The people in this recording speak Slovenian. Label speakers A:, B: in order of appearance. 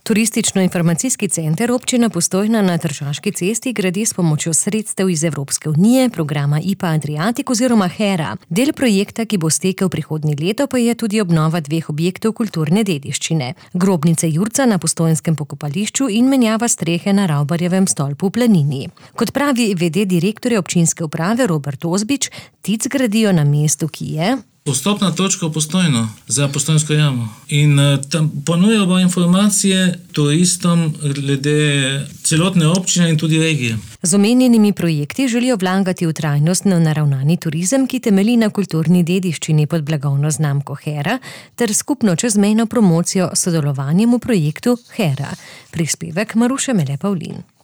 A: Turistično-informacijski center občina Postojna na Tržaški cesti gradi s pomočjo sredstev iz Evropske unije, programa IPA Adriatic oziroma HERA. Del projekta, ki bo stekel prihodnje leto, pa je tudi obnova 2 objektov kulturne dediščine. Grobnice Jurca na postojnskem pokopališču in menjava strehe na Ravbarjevem stolpu v Planini. Kot pravi v.d. direktorja občinske uprave Robert Ozbič, TIC gradijo na mestu, ki je
B: vstopna točka v Postojno za Postojnsko jamo. In tam ponujajo informacije turistom glede celotne občine in tudi regije.
A: Z omenjenimi projekti želijo vlagati v trajnostno naravnani turizem, ki temelji na kulturni dediščini pod blagovno znamko HERA, ter skupno čezmejno promocijo s sodelovanjem v projektu HERA. Prispevek Maruše Mele Pavlin.